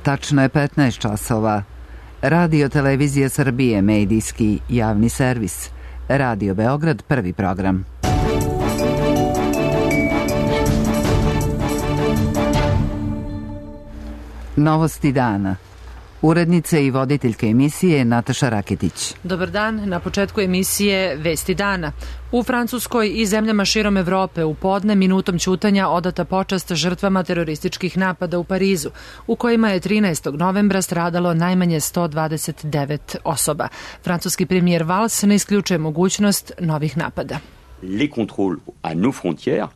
Tačno je 15 časova. Radio Televizija Srbije, medijski javni servis. Radio Beograd, prvi program. Novosti dana. Urednica i voditeljka emisije Nataša Raketić. Dobar dan, na početku emisije Vesti dana. U Francuskoj i zemljama širom Evrope u podne minutom ćutanja odata počast žrtvama terorističkih napada u Parizu, u kojima je 13. novembra stradalo najmanje 129 osoba. Francuski premijer Valls ne isključuje mogućnost novih napada. Les contrôles à nos frontières.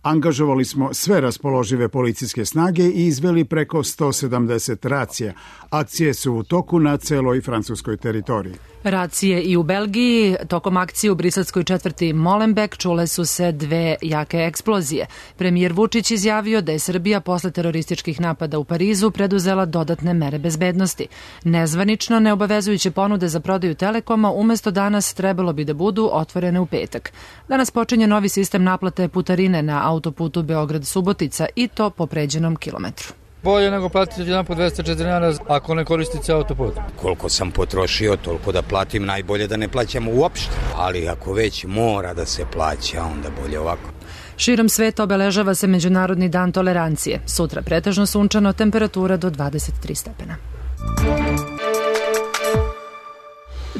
Angažovali smo sve raspoložive policijske snage i izveli preko 170 racija. Akcije su u toku na celoj francuskoj teritoriji. Racije i u Belgiji. Tokom akcije u briselskoj četvrti Molenbeek čule su se dve jake eksplozije. Premijer Vučić izjavio da je Srbija posle terorističkih napada u Parizu preduzela dodatne mere bezbednosti. Nezvanično neobavezujuće ponude za prodaju Telekoma umesto danas trebalo bi da budu otvorene u petak. Danas počinje novi sistem naplate putarine na autoputu Beograd-Subotica i to po pređenom kilometru. Bolje nego platiti jedan po 204 dinara ako ne koristite autoput. Koliko sam potrošio, toliko da platim, najbolje da ne plaćamo uopšte. Ali ako već mora da se plaća, onda bolje ovako. Širom sveta obeležava se Međunarodni dan tolerancije. Sutra pretežno sunčano, temperatura do 23 stepena.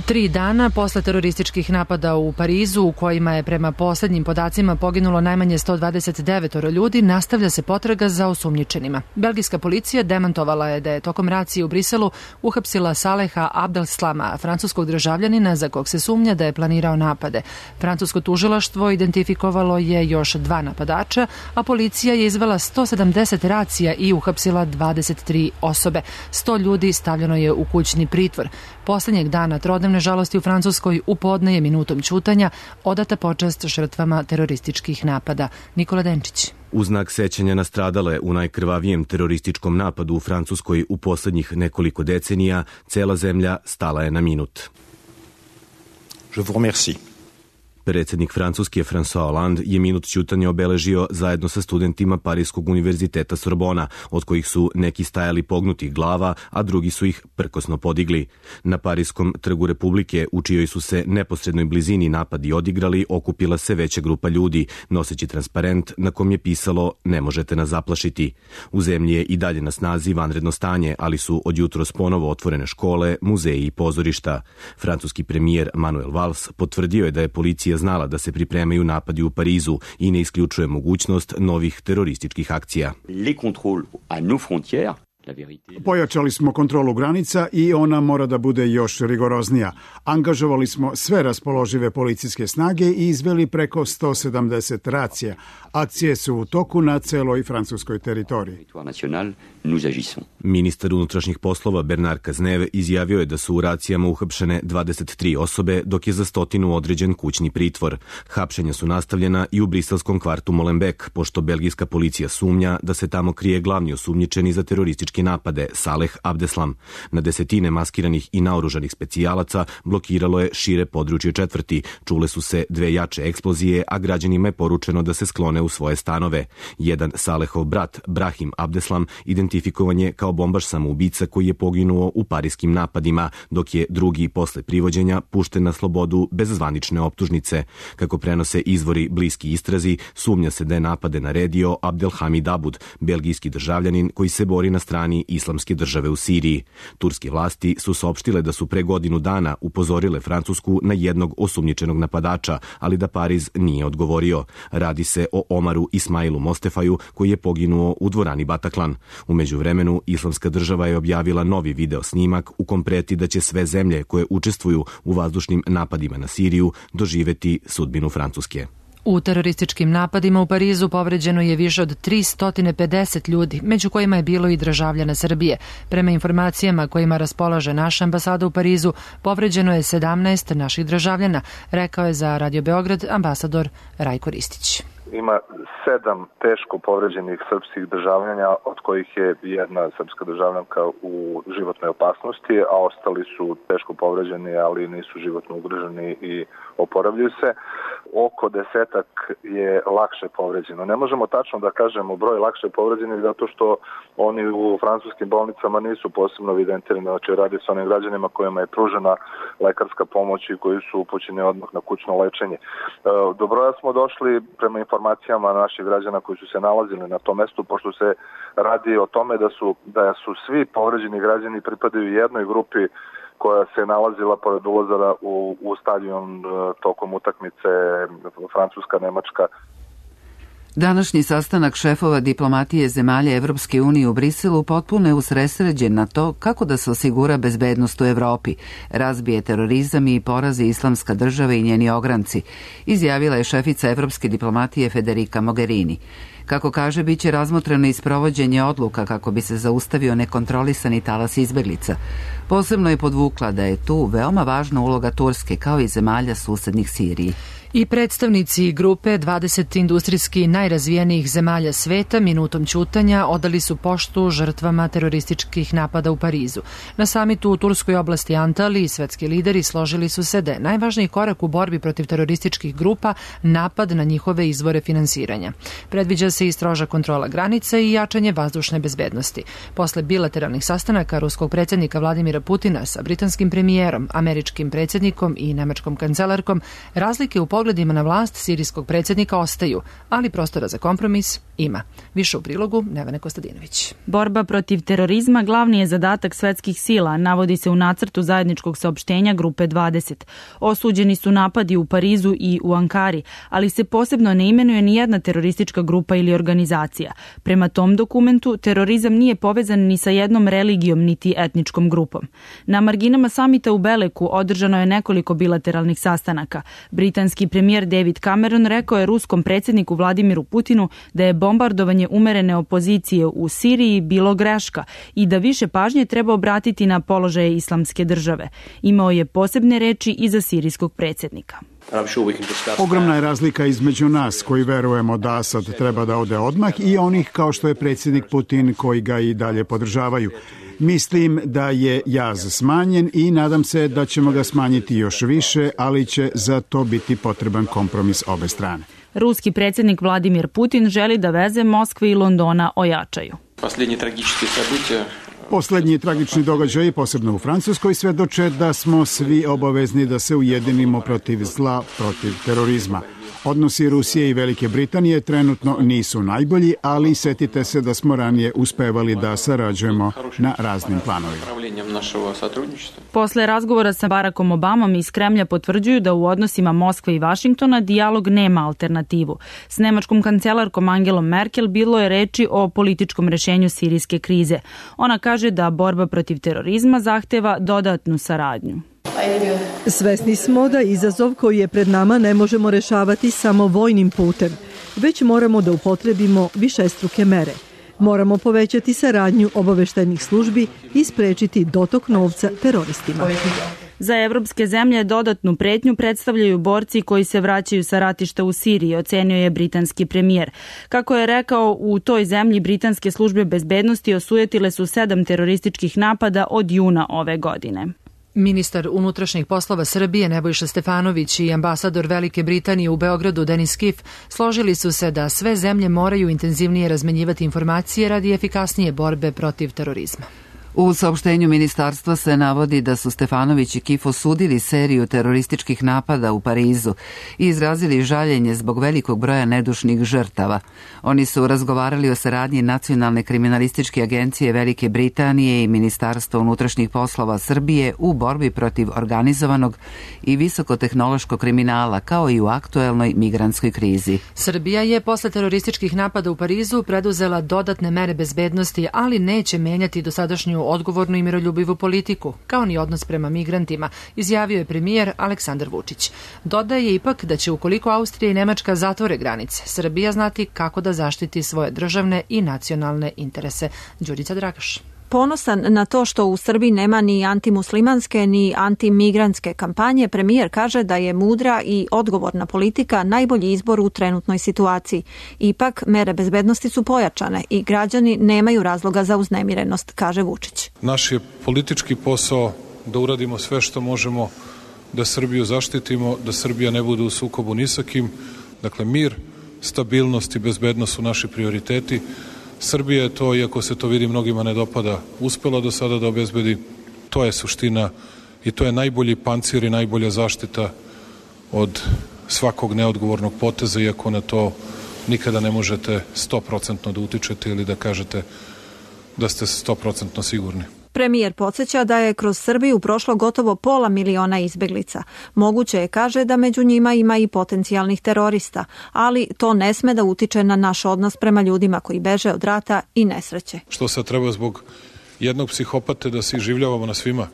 3 dana posle terorističkih napada u Parizu, u kojima je prema poslednjim podacima poginulo najmanje 129 ljudi, nastavlja se potraga za osumnjičenima. Belgijska policija demantovala je da je tokom racije u Briselu uhapsila Saleha Abdeslama, francuskog državljanina za kog se sumnja da je planirao napade. Francusko tužilaštvo identifikovalo je još 2 napadača, a policija je izvela 170 racija i uhapsila 23 osobe. 100 ljudi stavljeno je u kućni pritvor. Poslednjeg dana trodnevne žalosti u Francuskoj u podne je minutom ćutanja odata počast žrtvama terorističkih napada. Nikola Denčić. U znak sećanja na stradale u najkrvavijem terorističkom napadu u Francuskoj u poslednjih nekoliko decenija, cela zemlja stala je na minut. Je vous remercie. Predsjednik Francuske François Hollande je minut ćutanja obeležio zajedno sa studentima Parijskog univerziteta Sorbona, od kojih su neki stajali pognutih glava, a drugi su ih prkosno podigli. Na Parijskom trgu Republike, u čijoj su se neposrednoj blizini napadi odigrali, okupila se veća grupa ljudi, noseći transparent na kom je pisalo "Ne možete nas zaplašiti". U zemlji je i dalje na snazi vanredno stanje, ali su od jutros ponovo otvorene škole, muzeji i pozorišta. Francuski premijer Manuel Valls potvrdio je da je policija znala da se pripremaju napadi u Parizu i ne isključuje mogućnost novih terorističkih akcija. Les contrôles à nos frontières. Pojačali smo kontrolu granica i ona mora da bude još rigoroznija. Angažovali smo sve raspoložive policijske snage i izveli preko 170 racija. Akcije su u toku na celoj francuskoj teritoriji. Ministar unutrašnjih poslova Bernard Cazeneuve izjavio je da su u racijama uhapšene 23 osobe, dok je za 100 određen kućni pritvor. Hapšenja su nastavljena i u briselskom kvartu Molenbeek, pošto belgijska policija sumnja da se tamo krije glavni osumnjičeni za terorističke napade, Saleh Abdeslam. Na desetine maskiranih i naoružanih specijalaca blokiralo je šire područje četvrti. Čule su se 2 jače eksplozije, a građanima je poručeno da se sklone u svoje stanove. Jedan Salehov brat, Brahim Abdeslam, identifikovan je kao bombaš samoubica koji je poginuo u parijskim napadima, dok je drugi posle privođenja pušten na slobodu bez zvanične optužnice. Kako prenose izvori bliski istrazi, sumnja se da je napade naredio Abdelhamid Abud, belgijski državljanin koji se bori na strani Islamske države u Siriji. Turske vlasti su saopštile da su pre godinu dana upozorile Francusku na jednog osumnjičenog napadača, ali da Pariz nije odgovorio. Radi se o Omaru Ismailu Mostefaju, koji je poginuo u dvorani Bataclan. U međuvremenu, Islamska država je objavila novi video snimak u kom preti da će sve zemlje koje učestvuju u vazdušnim napadima na Siriju doživeti sudbinu Francuske. U terorističkim napadima u Parizu povređeno je više od 350 ljudi, među kojima je bilo i državljana Srbije. Prema informacijama kojima raspolaže naša ambasada u Parizu, povređeno je 17 naših državljana, rekao je za Radio Beograd ambasador Rajko Ristić. ima 7 teško povređenih srpskih državljana, od kojih je jedna srpska državljanka u životnoj opasnosti, a ostali su teško povređeni, ali nisu životno ugroženi i oporavljaju se. Oko 10 je lakše povređeno. Ne možemo tačno da kažemo broj lakše povređenih zato što oni u francuskim bolnicama nisu posebno evidentirani, znači radi se o onim građanima kojima je pružena lekarska pomoć i koji su upućeni odmah na kućno lečenje. Do broja smo došli prema informacijama naših građana koji su se nalazili na tom mestu, pošto se radi o tome da su svi povređeni građani pripadaju jednoj grupi koja se nalazila pored ulaza u stadion tokom utakmice Francuska-Nemačka. Današnji sastanak šefova diplomatije zemalja Evropske unije u Briselu potpuno je usredsređen na to kako da se osigura bezbednost u Evropi, razbije terorizam i porazi Islamska država i njeni ogranci, izjavila je šefica Evropske diplomatije Federica Mogherini. Kako kaže, bit će razmotreno i sprovođenje odluka kako bi se zaustavio nekontrolisani talas izbeglica. Posebno je podvukla da je tu veoma važna uloga Turske kao i zemalja susednih Siriji. I predstavnici grupe 20 industrijski najrazvijenijih zemalja sveta minutom ćutanja odali su poštu žrtvama terorističkih napada u Parizu. Na samitu u turskoj oblasti Antaliji svetski lideri složili su se da je najvažniji korak u borbi protiv terorističkih grupa napad na njihove izvore finansiranja. Predviđa se i stroža kontrola granica i jačanje vazdušne bezbednosti. Posle bilateralnih sastanaka ruskog predsjednika Vladimira Putina sa britanskim premijerom, američkim predsjednikom i nemačkom kancelarkom, razlike u pogledima na vlast sirijskog predsjednika ostaju, ali prostora za kompromis ima. Više u prilogu Nevene Kostadinović. Borba protiv terorizma glavni je zadatak svetskih sila, navodi se u nacrtu zajedničkog saopštenja Grupe 20. Osuđeni su napadi u Parizu i u Ankari, ali se posebno ne imenuje ni jedna teroristička grupa ili organizacija. Prema tom dokumentu, terorizam nije povezan ni sa jednom religijom niti etničkom grupom. Na marginama samita u Beleku održano je nekoliko bilateralnih sastanaka. Britanski premijer David Cameron rekao je ruskom predsjedniku Vladimiru Putinu da je bombardovanje umerene opozicije u Siriji bilo greška i da više pažnje treba obratiti na položaje Islamske države. Imao je posebne reči i za sirijskog predsjednika. Ogromna je razlika između nas koji verujemo da Asad treba da ode odmah i onih kao što je predsjednik Putin koji ga i dalje podržavaju. Mislim da je jaz smanjen i nadam se da ćemo ga smanjiti još više, ali će za to biti potreban kompromis obe strane. Ruski predsjednik Vladimir Putin želi da veze Moskve i Londona ojačaju. Poslednji tragični događaj, posebno u Francuskoj, svedoče da smo svi obavezni da se ujedinimo protiv zla, protiv terorizma. Odnosi Rusije i Velike Britanije trenutno nisu najbolji, ali setite se da smo ranije uspevali da sarađujemo na raznim planovima. Posle razgovora sa Barackom Obamom iz Kremlja potvrđuju da u odnosima Moskve i Vašingtona dijalog nema alternativu. S nemačkom kancelarkom Angelom Merkel bilo je reči o političkom rešenju sirijske krize. Ona kaže da borba protiv terorizma zahteva dodatnu saradnju. Svesni smo da izazov koji je pred nama ne možemo rešavati samo vojnim putem, već moramo da upotrebimo višestruke mere. Moramo povećati saradnju obaveštajnih službi i sprečiti dotok novca teroristima. Za evropske zemlje dodatnu pretnju predstavljaju borci koji se vraćaju sa ratišta u Siriji, ocenio je britanski premijer. Kako je rekao, u toj zemlji britanske službe bezbednosti osujetile su 7 terorističkih napada od juna ove godine. Ministar unutrašnjih poslova Srbije Nebojša Stefanović i ambasador Velike Britanije u Beogradu Denis Kif složili su se da sve zemlje moraju intenzivnije razmenjivati informacije radi efikasnije borbe protiv terorizma. U saopštenju ministarstva se navodi da su Stefanović i Kif osudili seriju terorističkih napada u Parizu i izrazili žaljenje zbog velikog broja nedušnih žrtava. Oni su razgovarali o saradnji Nacionalne kriminalističke agencije Velike Britanije i Ministarstva unutrašnjih poslova Srbije u borbi protiv organizovanog i visokotehnološkog kriminala, kao i u aktuelnoj migrantskoj krizi. Srbija je posle terorističkih napada u Parizu preduzela dodatne mere bezbednosti, ali neće menjati dosadašnju odgovornu i miroljubivu politiku, kao ni odnos prema migrantima, izjavio je premijer Aleksandar Vučić. Dodaje ipak da će ukoliko Austrija i Nemačka zatvore granice, Srbija znati kako da zaštiti svoje državne i nacionalne interese. Đurica Dragaš. Ponosan na to što u Srbiji nema ni antimuslimanske ni antimigrantske kampanje, premijer kaže da je mudra i odgovorna politika najbolji izbor u trenutnoj situaciji. Ipak, mere bezbednosti su pojačane i građani nemaju razloga za uznemirenost, kaže Vučić. Naš je politički posao da uradimo sve što možemo da Srbiju zaštitimo, da Srbija ne bude u sukobu ni sa kim. Dakle, mir, stabilnost i bezbednost su naši prioriteti. Srbija je to, iako se to vidi mnogima ne dopada, uspela do sada da obezbedi. To je suština i to je najbolji pancir i najbolja zaštita od svakog neodgovornog poteza, iako na to nikada ne možete 100% da utičete ili da kažete da ste 100% sigurni. Premijer podsjeća da je kroz Srbiju prošlo gotovo 500.000 izbeglica. Moguće je, kaže, da među njima ima i potencijalnih terorista, ali to ne sme da utiče na naš odnos prema ljudima koji beže od rata i nesreće. Što sad treba zbog jednog psihopate da se iživljavamo na svima?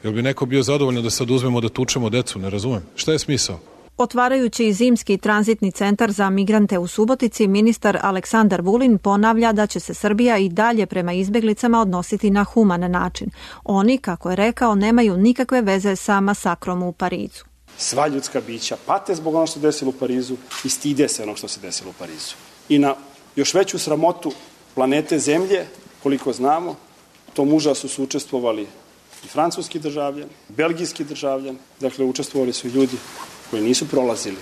Jel bi neko bio zadovoljno da sad uzmemo da tučemo decu? Ne razumem. Šta je smisao? Otvarajući zimski tranzitni centar za migrante u Subotici, ministar Aleksandar Vulin ponavlja da će se Srbija i dalje prema izbeglicama odnositi na human način. Oni, kako je rekao, nemaju nikakve veze sa masakrom u Parizu. Sva ljudska bića pate zbog onog što se desilo u Parizu i stide se onog što se desilo u Parizu. I na još veću sramotu planete Zemlje, koliko znamo, tom užasu su učestvovali i francuski državljan, belgijski državljan, dakle učestvovali su ljudi koji nisu prolazili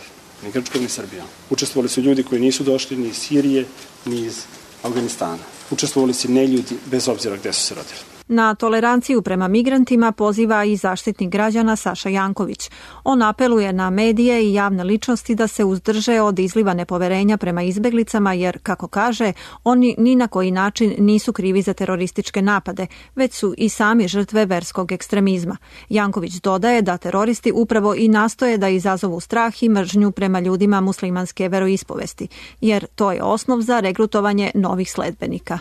ni Grčkom ni Srbijom. Učestvovali su ljudi koji nisu došli ni iz Sirije, ni iz Afganistana. Učestvovali su neljudi bez obzira gde su se rodili. Na toleranciju prema migrantima poziva i zaštitnik građana Saša Janković. On apeluje na medije i javne ličnosti da se uzdrže od izliva nepoverenja prema izbeglicama jer, kako kaže, oni ni na koji način nisu krivi za terorističke napade, već su i sami žrtve verskog ekstremizma. Janković dodaje da teroristi upravo i nastoje da izazovu strah i mržnju prema ljudima muslimanske veroispovesti, jer to je osnov za regrutovanje novih sledbenika.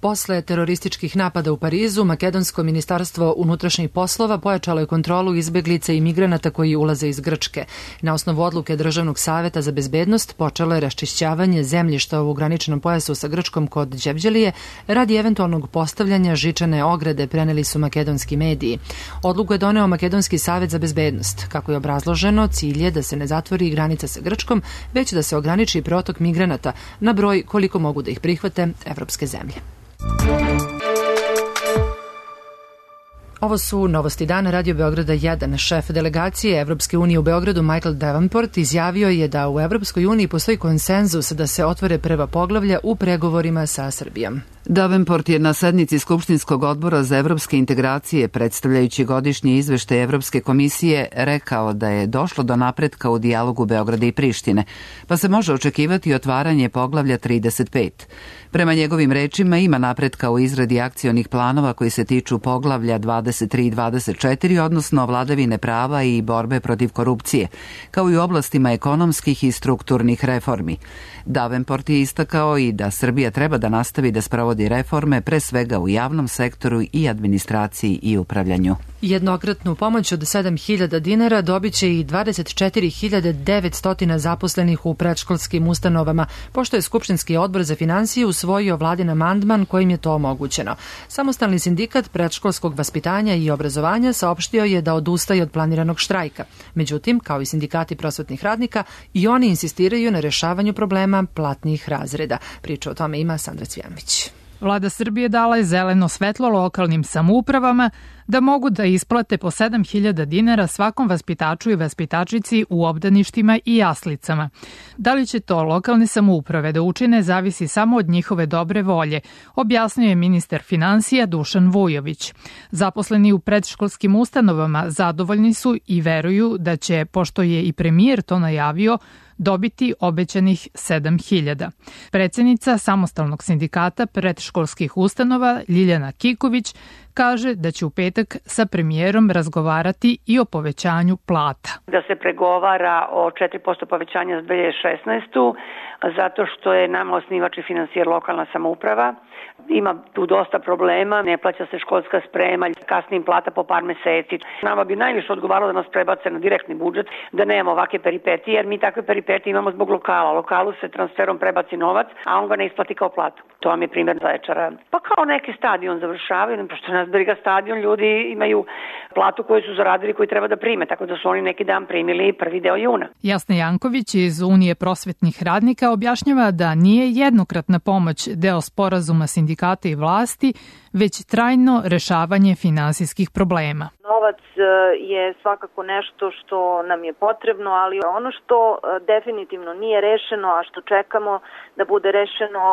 Posle terorističkih napada u Parizu, Makedonsko ministarstvo unutrašnjih poslova pojačalo je kontrolu izbeglica i migranata koji ulaze iz Grčke. Na osnovu odluke Državnog saveta za bezbednost počelo je raščišćavanje zemljišta u graničnom pojasu sa Grčkom kod Đevđelije radi eventualnog postavljanja žičane ograde, preneli su makedonski mediji. Odluku je doneo Makedonski savet za bezbednost. Kako je obrazloženo, cilj je da se ne zatvori granica sa Grčkom, već da se ograniči protok migranata na broj koliko mogu da ih prihvate evropske zemlje. Ovo su novosti dana Radio Beograda 1. Šef delegacije Evropske unije u Beogradu Michael Davenport izjavio je da u Evropskoj uniji postoji konsenzus da se otvore prva poglavlja u pregovorima sa Srbijom. Davenport je na sednici Skupštinskog odbora za evropske integracije, predstavljajući godišnji izveštaj Evropske komisije, rekao da je došlo do napretka u dijalogu Beograda i Prištine, pa se može očekivati otvaranje poglavlja 35. Prema njegovim rečima ima napretka u izradi akcionih planova koji se tiču poglavlja 23 i 24, odnosno vladavine prava i borbe protiv korupcije, kao i u oblastima ekonomskih i strukturnih reformi. Davenport je istakao i da Srbija treba da nastavi da sprovodi reforme, pre svega u javnom sektoru i administraciji i upravljanju. Jednokratnu pomoć od 7.000 dinara dobit će i 24.900 zaposlenih u predškolskim ustanovama, pošto je Skupštinski odbor za finansije usvojio vladin amandman kojim je to omogućeno. Samostalni sindikat predškolskog vaspitanja i obrazovanja saopštio je da odustaje od planiranog štrajka. Međutim, kao i sindikati prosvetnih radnika, i oni insistiraju na rešavanju problema platnih razreda. Priča o tome ima Sandra Cvjanović. Vlada Srbije dala je zeleno svetlo lokalnim samoupravama da mogu da isplate po 7.000 dinara svakom vaspitaču i vaspitačici u obdaništima i jaslicama. Da li će to lokalne samouprave da učine zavisi samo od njihove dobre volje, objasnio je ministar finansija Dušan Vujović. Zaposleni u predškolskim ustanovama zadovoljni su i veruju da će, pošto je i premijer to najavio, dobiti obećanih 7.000. Predsjednica Samostalnog sindikata predškolskih ustanova Ljiljana Kiković kaže da će u petak sa premijerom razgovarati i o povećanju plata. Da se pregovara o 4% povećanja za 2016. zato što je nama osnivač i finansijer lokalna samouprava. Ima tu dosta problema, ne plaća se školska sprema, kasnim plata po par meseci. Nama bi najviše odgovaralo da nas prebace na direktni budžet, da nemamo ovakve peripetije, jer mi takve peripetije imamo zbog lokala. Lokalu se transferom prebaci novac, a on ga ne isplati kao platu. To vam je primjer Zaječara. Pa kao neki stadion završavaju, pošto nas briga stadion, ljudi imaju platu koju su zaradili, koju treba da prime, tako da su oni neki dan primili prvi deo juna. Jasna Janković iz Unije prosvetnih radnika objašnjava da nije jednokratna pomoć deo sporazuma sindikata i vlasti, već trajno rešavanje finansijskih problema. Novac je svakako nešto što nam je potrebno, ali ono što definitivno nije rešeno, a što čekamo da bude rešeno,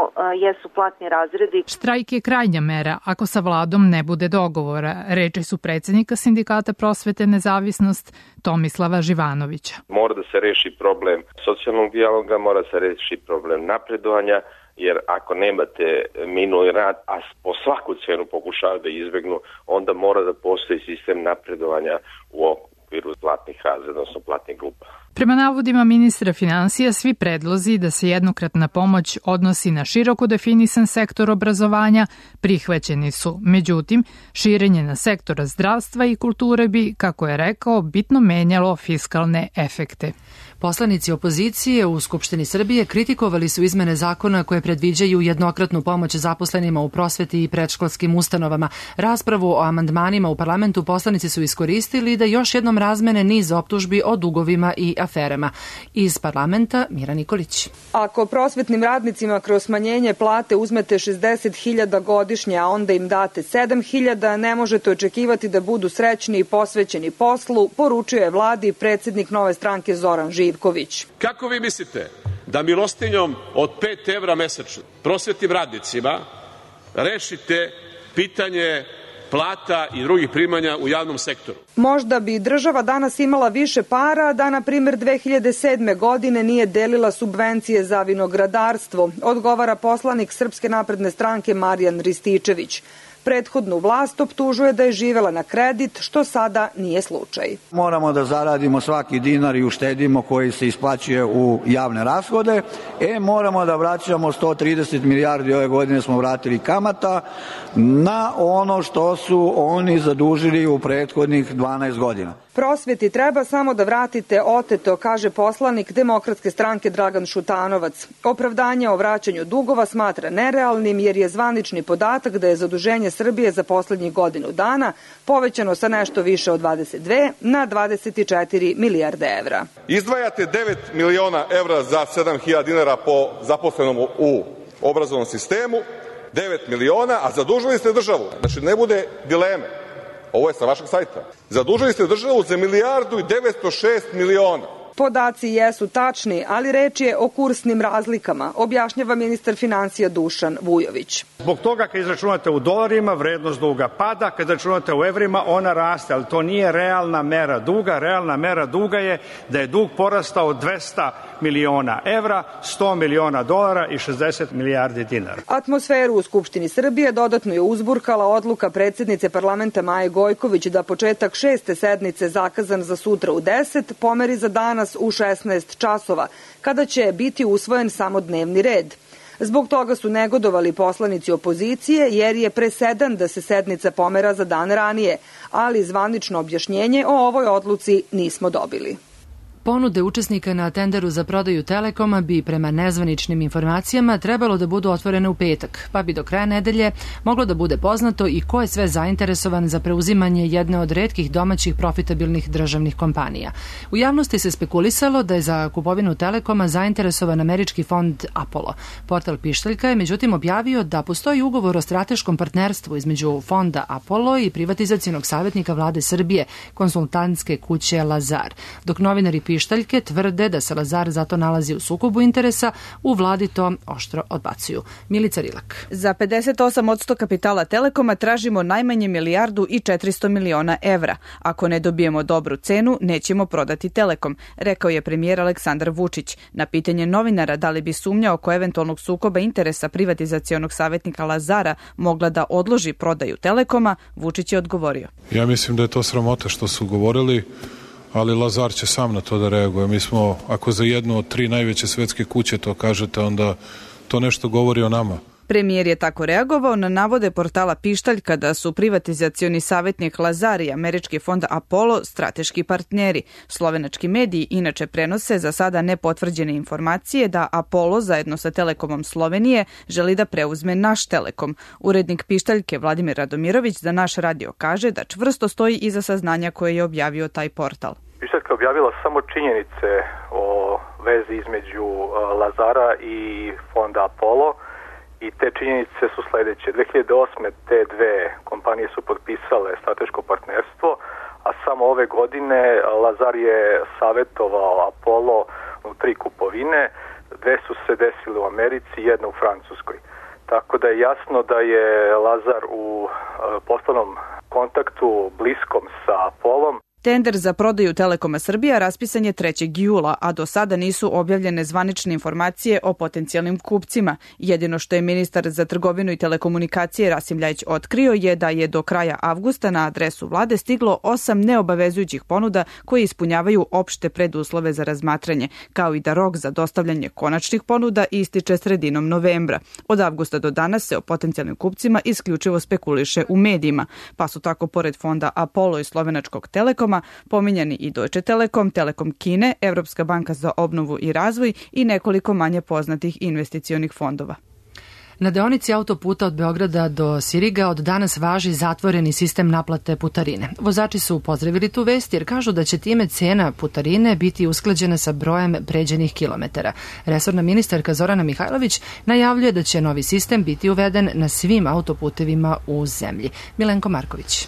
jesu platni razredi. Štrajk je krajnja mera ako sa vladom ne bude dogovora, reči su predsednika Sindikata prosvete Nezavisnost Tomislava Živanovića. Mora da se reši problem socijalnog dijaloga, mora da se reši problem napredovanja, jer ako nemate minuli rad, a po svaku cenu pokušavaju da izbegnu, onda mora da postoji sistem napredovanja u okviru platnih razreda, odnosno platnih grupa. Prema navodima ministra finansija, svi predlozi da se jednokratna pomoć odnosi na široko definisan sektor obrazovanja prihvaćeni su. Međutim, širenje na sektora zdravstva i kulture bi, kako je rekao, bitno menjalo fiskalne efekte. Poslanici opozicije u Skupštini Srbije kritikovali su izmene zakona koje predviđaju jednokratnu pomoć zaposlenima u prosveti i predškolskim ustanovama. Raspravu o amandmanima u parlamentu poslanici su iskoristili da još jednom razmene niz optužbi o dugovima i aferama. Iz parlamenta Mira Nikolić. Ako prosvetnim radnicima kroz smanjenje plate uzmete 60.000 godišnje, a onda im date 7.000, ne možete očekivati da budu srećni i posvećeni poslu, poručio je vladi predsjednik Nove stranke Zoran Živković. Kako vi mislite da milostinjom od 5 evra mesečno prosvetnim radnicima rešite pitanje plata i drugih primanja u javnom sektoru? Možda bi država danas imala više para da, na primjer, 2007. godine nije delila subvencije za vinogradarstvo, odgovara poslanik Srpske napredne stranke Marijan Rističević. Prethodnu vlast optužuje da je živela na kredit, što sada nije slučaj. Moramo da zaradimo svaki dinar i uštedimo koji se isplaćuje u javne rashode. Moramo da vraćamo 130 milijardi, ove godine smo vratili kamata na ono što su oni zadužili u prethodnih 12 godina. Prosveti treba samo da vratite oteto, kaže poslanik Demokratske stranke Dragan Šutanovac. Opravdanje o vraćanju dugova smatra nerealnim jer je zvanični podatak da je zaduženje Srbije za poslednjih godinu dana povećano sa nešto više od 22 na 24 milijarde evra. Izdvajate 9 miliona evra za 7.000 dinara po zaposlenom u obrazovnom sistemu, 9 miliona, a zadužili ste državu. Znači ne bude dileme. Ovo je sa vašeg sajta. Zadužili ste državu za 1.906 miliona. Podaci jesu tačni, ali reč je o kursnim razlikama, objašnjava ministar finansija Dušan Vujović. Zbog toga kad izračunate u dolarima, vrednost duga pada, kad izračunate u evrima, ona raste, ali to nije realna mera duga. Realna mera duga je da je dug porastao 200 miliona evra, 100 miliona dolara i 60 milijardi dinara. Atmosferu u Skupštini Srbije dodatno je uzburkala odluka predsjednice parlamenta Maje Gojković da početak 6. sednice zakazan za sutra u 10 pomeri za danas u 16 časova, kada će biti usvojen samo dnevni red. Zbog toga su negodovali poslanici opozicije jer je presedan da se sednica pomera za dan ranije, ali zvanično objašnjenje o ovoj odluci nismo dobili. Ponude učesnika na tenderu za prodaju Telekoma bi prema nezvaničnim informacijama trebalo da budu otvorene u petak, pa bi do kraja nedelje moglo da bude poznato i ko je sve zainteresovan za preuzimanje jedne od retkih domaćih profitabilnih državnih kompanija. U javnosti se spekulisalo da je za kupovinu Telekoma zainteresovan američki fond Apollo. Portal Pištaljka je međutim objavio da postoji ugovor o strateškom partnerstvu između fonda Apollo i privatizacionog savjetnika vlade Srbije, konsultantske kuće Lazar. Dok novinari Pištaljke tvrde da se Lazar zato nalazi u sukobu interesa, u vladi to oštro odbacuju. Milica Rilak. Za 58% kapitala Telekoma tražimo najmanje 1.400 miliona evra. Ako ne dobijemo dobru cenu, nećemo prodati Telekom, rekao je premijer Aleksandar Vučić. Na pitanje novinara da li bi sumnja oko eventualnog sukoba interesa privatizacionog savjetnika Lazara mogla da odloži prodaju Telekoma, Vučić je odgovorio. Ja mislim da je to sramota što su govorili, ali Lazar će sam na to da reaguje. Mi smo, ako za jednu od 3 najveće svetske kuće to kažete, onda to nešto govori o nama. Premijer je tako reagovao na navode portala Pištalj kada su privatizacioni savjetnik Lazar i američki fond Apollo strateški partneri. Slovenački mediji inače prenose za sada nepotvrđene informacije da Apollo zajedno sa Telekomom Slovenije želi da preuzme naš Telekom. Urednik Pištaljke Vladimir Radomirović za naš radio kaže da čvrsto stoji iza saznanja koje je objavio taj portal. Pištaljka je objavila samo činjenice o vezi između Lazara i fonda Apollo. I te činjenice su sledeće. 2008. te dve kompanije su potpisale strateško partnerstvo, a samo ove godine Lazar je savjetovao Apollo u 3 kupovine. 2 su se desile u Americi, 1 u Francuskoj. Tako da je jasno da je Lazar u poslovnom kontaktu bliskom sa Apollom. Tender za prodaju Telekoma Srbija raspisan je 3. jula, a do sada nisu objavljene zvanične informacije o potencijalnim kupcima. Jedino što je ministar za trgovinu i telekomunikacije Rasim Ljajić otkrio je da je do kraja avgusta na adresu vlade stiglo 8 neobavezujućih ponuda koje ispunjavaju opšte preduslove za razmatranje, kao i da rok za dostavljanje konačnih ponuda ističe sredinom novembra. Od avgusta do danas se o potencijalnim kupcima isključivo spekuliše u medijima, pa su tako pored fonda Apollo i slovenačkog Telekoma pominjani i Deutsche Telekom, Telekom Kine, Evropska banka za obnovu i razvoj i nekoliko manje poznatih investicionih fondova. Na deonici autoputa od Beograda do Siriga od danas važi zatvoreni sistem naplate putarine. Vozači su pozdravili tu vest jer kažu da će time cena putarine biti usklađena sa brojem pređenih kilometara. Resorna ministarka Zorana Mihajlović najavljuje da će novi sistem biti uveden na svim autoputevima u zemlji. Milenko Marković.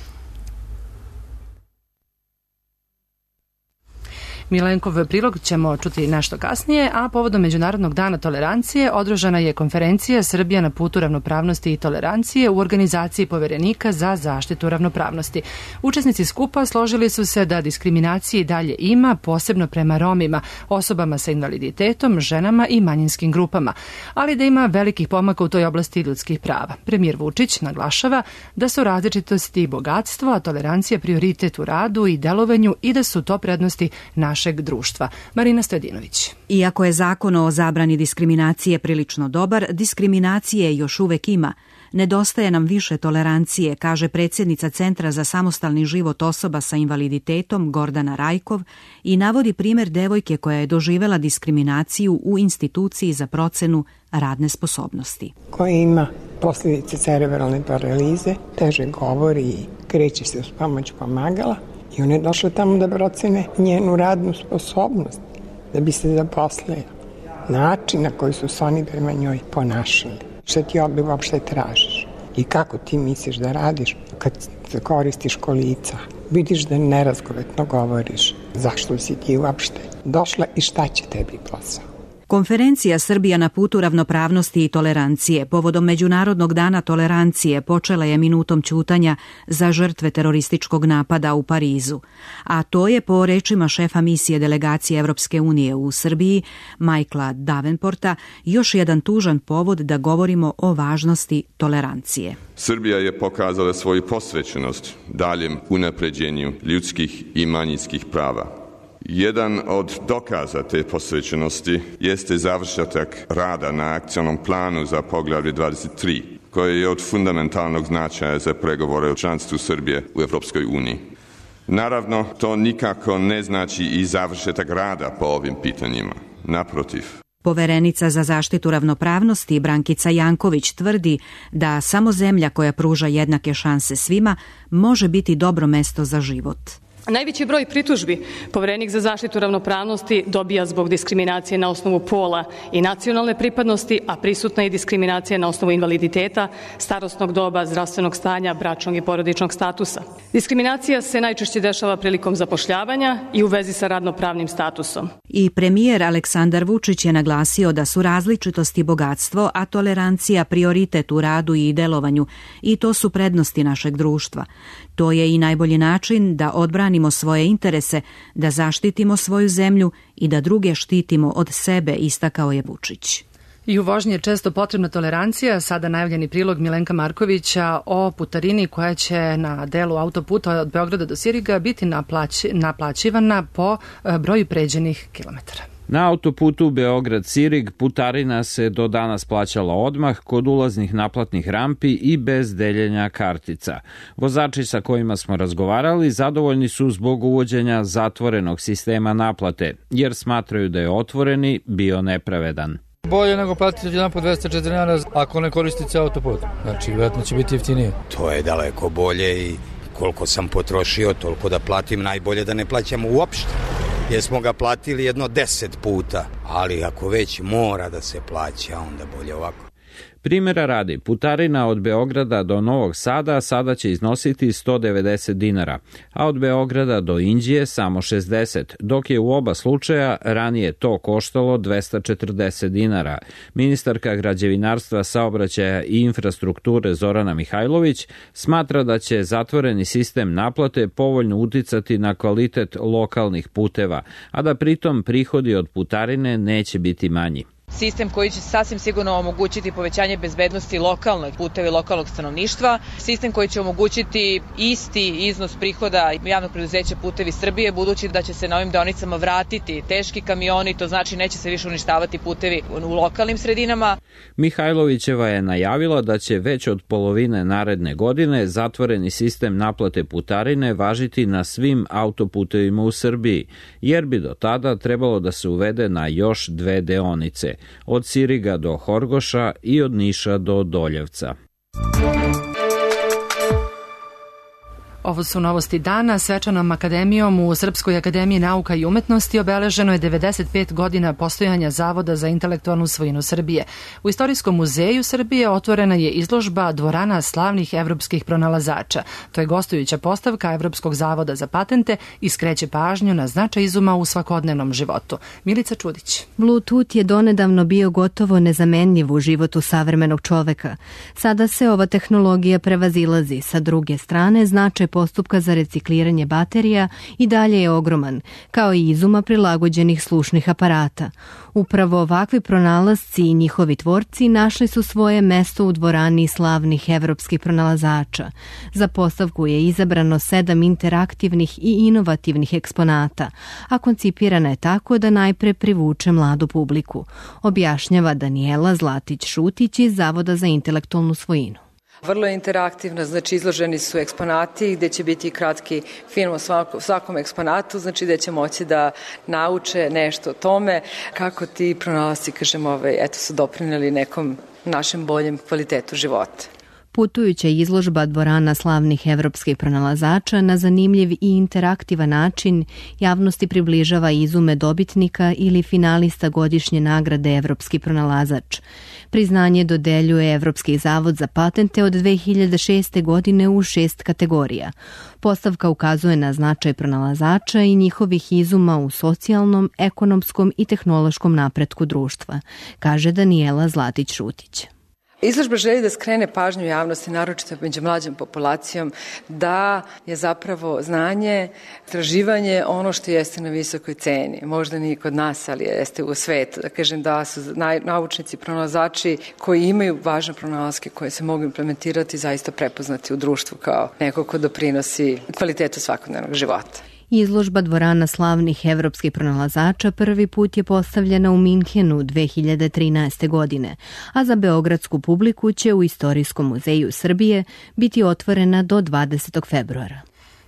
Milenkov prilog ćemo čuti nešto kasnije, a povodom Međunarodnog dana tolerancije održana je konferencija Srbija na putu ravnopravnosti i tolerancije u organizaciji Poverenika za zaštitu ravnopravnosti. Učesnici skupa složili su se da diskriminacije dalje ima, posebno prema Romima, osobama sa invaliditetom, ženama i manjinskim grupama, ali da ima velikih pomaka u toj oblasti ljudskih prava. Premijer Vučić naglašava da su različitosti i bogatstvo, a tolerancija prioritet u radu i delovanju i da su to prednosti našeg društva. Marina Stojadinović. Iako je zakon o zabrani diskriminacije prilično dobar, diskriminacije još uvek ima. Nedostaje nam više tolerancije, kaže predsjednica Centra za samostalni život osoba sa invaliditetom Gordana Rajkov i navodi primjer devojke koja je doživela diskriminaciju u instituciji za procenu radne sposobnosti. Koja ima posljedice cerebralne paralize, teže govori i kreće se uz pomoć pomagala. I ona je došla tamo da procene njenu radnu sposobnost, da bi se zaposlila. Način na koji su se oni prema njoj ponašali. Šta ti ovdje uopšte tražiš? I kako ti misliš da radiš kad koristiš kolica? Vidiš da nerazgovetno govoriš. Zašto si ti uopšte došla i šta će tebi posao? Konferencija Srbija na putu ravnopravnosti i tolerancije povodom Međunarodnog dana tolerancije počela je minutom ćutanja za žrtve terorističkog napada u Parizu, a to je po rečima šefa misije delegacije Evropske unije u Srbiji, Michaela Davenporta, još jedan tužan povod da govorimo o važnosti tolerancije. Srbija je pokazala svoju posvećenost daljem unapređenju ljudskih i manjinskih prava. Jedan od dokaza te posvećenosti jeste završetak rada na akcionom planu za poglavlje 23, koje je od fundamentalnog značaja za pregovore o članstvu Srbije u Evropskoj uniji. Naravno, to nikako ne znači i završetak rada po ovim pitanjima. Naprotiv. Poverenica za zaštitu ravnopravnosti Brankica Janković tvrdi da samo zemlja koja pruža jednake šanse svima može biti dobro mesto za život. Najveći broj pritužbi Poverenik za zaštitu ravnopravnosti dobija zbog diskriminacije na osnovu pola i nacionalne pripadnosti, a prisutna je diskriminacija na osnovu invaliditeta, starosnog doba, zdravstvenog stanja, bračnog i porodičnog statusa. Diskriminacija se najčešće dešava prilikom zapošljavanja i u vezi sa radnopravnim statusom. I premijer Aleksandar Vučić je naglasio da su različitosti bogatstvo, a tolerancija prioritet u radu i delovanju, i to su prednosti našeg društva. To je i najbolji način da odbranimo svoje interese, da zaštitimo svoju zemlju i da druge štitimo od sebe, istakao je Vučić. I u vožnji je često potrebna tolerancija. Sada najavljeni prilog Milenka Markovića o putarini koja će na delu autoputa od Beograda do Siriga biti naplaćivana po broju pređenih kilometara. Na autoputu Beograd-Sirig putarina se do danas plaćala odmah kod ulaznih naplatnih rampi i bez deljenja kartica. Vozači sa kojima smo razgovarali zadovoljni su zbog uvođenja zatvorenog sistema naplate, jer smatraju da je otvoreni bio nepravedan. Bolje nego platiti jedan po 204 dinara ako ne koristite autoput. Znači, vjerojatno će biti jeftinije. To je daleko bolje i koliko sam potrošio, toliko da platim, najbolje da ne plaćamo uopšte. Jer smo ga platili jedno 10 puta, ali ako već mora da se plaća, onda bolje ovako. Primjera radi, putarina od Beograda do Novog Sada sada će iznositi 190 dinara, a od Beograda do Inđije samo 60, dok je u oba slučaja ranije to koštalo 240 dinara. Ministarka građevinarstva, saobraćaja i infrastrukture Zorana Mihajlović smatra da će zatvoreni sistem naplate povoljno uticati na kvalitet lokalnih puteva, a da pritom prihodi od putarine neće biti manji. Sistem koji će sasvim sigurno omogućiti povećanje bezbednosti lokalnog puteva i lokalnog stanovništva, sistem koji će omogućiti isti iznos prihoda javnog preduzeća Putevi Srbije, budući da će se na ovim deonicama vratiti teški kamioni, to znači neće se više uništavati putevi u lokalnim sredinama. Mihajlovićeva je najavila da će već od polovine naredne godine zatvoreni sistem naplate putarine važiti na svim autoputevima u Srbiji, jer bi do tada trebalo da se uvede na još 2 deonice, od Siriga do Horgoša i od Niša do Doljevca. Ovo su novosti dana. Svečanom akademijom u Srpskoj akademiji nauka i umetnosti obeleženo je 95 godina postojanja Zavoda za intelektualnu svojinu Srbije. U Istorijskom muzeju Srbije otvorena je izložba Dvorana slavnih evropskih pronalazača. To je gostujuća postavka Evropskog zavoda za patente i skreće pažnju na značaj izuma u svakodnevnom životu. Milica Čudić. Bluetooth je donedavno bio gotovo nezamenljiv u životu savremenog čoveka. Sada se ova tehnologija prevazilazi. Sa druge strane, značaj postupka za recikliranje baterija i dalje je ogroman, kao i izuma prilagođenih slušnih aparata. Upravo ovakvi pronalasci i njihovi tvorci našli su svoje mesto u Dvorani slavnih evropskih pronalazača. Za postavku je izabrano 7 interaktivnih i inovativnih eksponata, a koncipirana je tako da najpre privuče mladu publiku, objašnjava Danijela Zlatić-Šutić iz Zavoda za intelektualnu svojinu. Vrlo je interaktivna, znači izloženi su eksponati gde će biti kratki film o svakom eksponatu, znači gde će moći da nauče nešto o tome kako ti pronalasci, su doprineli nekom našem boljem kvalitetu života. Putujuća izložba Dvorana slavnih evropskih pronalazača na zanimljiv i interaktivan način javnosti približava izume dobitnika ili finalista godišnje nagrade Evropski pronalazač. Priznanje dodeljuje Evropski zavod za patente od 2006. godine u 6 kategorija. Postavka ukazuje na značaj pronalazača i njihovih izuma u socijalnom, ekonomskom i tehnološkom napretku društva, kaže Danijela Zlatić-Šutić. Izložba želi da skrene pažnju javnosti, naročito među mlađom populacijom, da je zapravo znanje, istraživanje ono što jeste na visokoj ceni. Možda nije kod nas, ali jeste u svetu. Da kažem da su naučnici, pronalazači koji imaju važne pronalaske koje se mogu implementirati zaista prepoznati u društvu kao neko ko doprinosi kvalitetu svakodnevnog života. Izložba Dvorana slavnih evropskih pronalazača prvi put je postavljena u Minhenu 2013. godine, a za beogradsku publiku će u Istorijskom muzeju Srbije biti otvorena do 20. februara.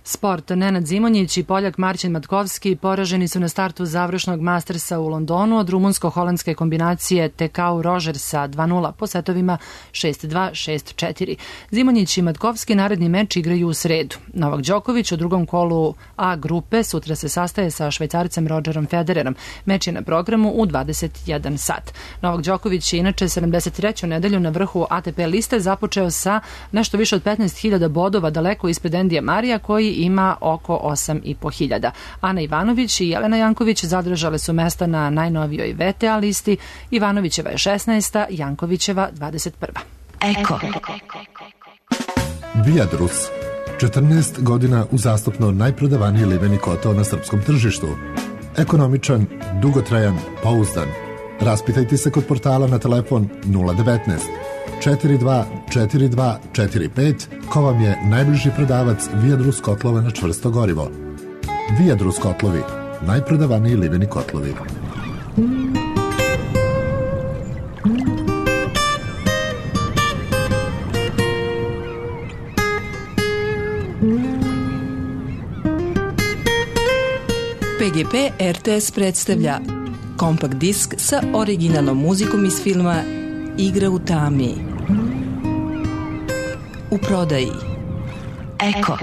Sport. Nenad Zimonjić i Poljak Marcin Matkovski poraženi su na startu završnog Mastersa u Londonu od rumunsko-holandske kombinacije Tekau Rogersa 2-0 po setovima 6-2, 6-4. Zimonjić i Matkovski naredni meč igraju u sredu. Novak Đoković u drugom kolu A grupe sutra se sastaje sa Švajcarcem Rodgerom Federerom. Meč je na programu u 21 sat. Novak Đoković je inače 73. nedelju na vrhu ATP liste započeo sa nešto više od 15.000 bodova daleko ispred Endija Marija koji ima oko 8.500. Ana Ivanović i Jelena Janković zadržale su mesta na najnovijoj VTA listi. Ivanovićeva je 16. Jankovićeva 21. Eko. Viadrus. 14 godina uzastopno najprodavaniji liveni kotao na srpskom tržištu. Ekonomičan, dugotrajan, pouzdan. Raspitajte se kod portala na telefon 019 424245 ko vam je najbliži prodavac Viadrus kotlova na čvrsto gorivo. Viadrus kotlovi, najprodavaniji liveni kotlovi. PGP RTS predstavlja kompakt disk sa originalnom muzikom iz filma Igra u tami. U prodaji Eko.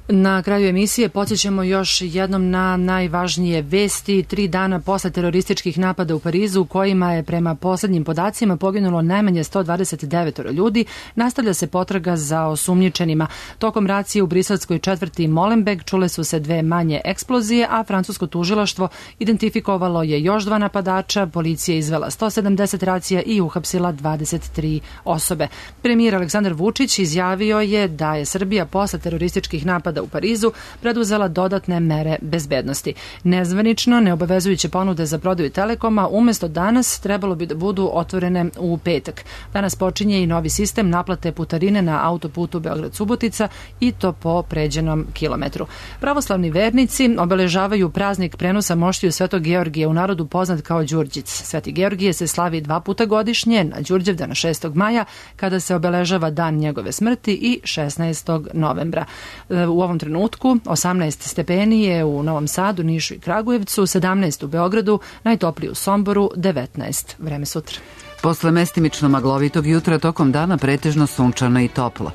Na kraju emisije podsjećamo još jednom na najvažnije vesti. 3 dana posle terorističkih napada u Parizu, u kojima je prema poslednjim podacima poginulo najmanje 129 ljudi, nastavlja se potraga za osumnjičenima. Tokom racije u briselskoj četvrti Molenbeek čule su se 2 manje eksplozije, a francusko tužilaštvo identifikovalo je još 2 napadača, policija izvela 170 racija i uhapsila 23 osobe. Premijer Aleksandar Vučić izjavio je da je Srbija posle terorističkih napada u Parizu preduzela dodatne mere bezbednosti. Nezvanično, neobavezujuće ponude za prodaju Telekoma umesto danas trebalo bi da budu otvorene u petak. Danas počinje i novi sistem naplate putarine na autoputu Beograd-Subotica i to po pređenom kilometru. Pravoslavni vernici obeležavaju praznik prenosa moštiju Svetog Georgija, u narodu poznat kao Đurđic. Sveti Georgije se slavi 2 puta godišnje, na Đurđevdan 6. maja, kada se obeležava dan njegove smrti, i 16. novembra. U ovom trenutku 18 stepeni je u Novom Sadu, Nišu i Kragujevcu, 17 u Beogradu, najtopliji u Somboru, 19. Vreme sutra. Posle mestimično maglovitog jutra, tokom dana pretežno sunčano i toplo.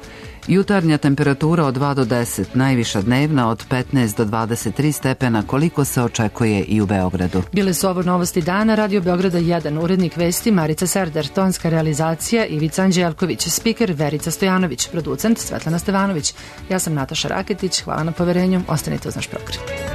Jutarnja temperatura od 2 do 10, najviša dnevna od 15 do 23 stepena, koliko se očekuje i u Beogradu. Bile su ovo novosti dana, Radio Beograda 1, urednik vesti Marica Serdar, tonska realizacija Ivica Anđelković, spiker Verica Stojanović, producent Svetlana Stevanović. Ja sam Nataša Raketić, hvala na poverenju, ostanite uz naš program.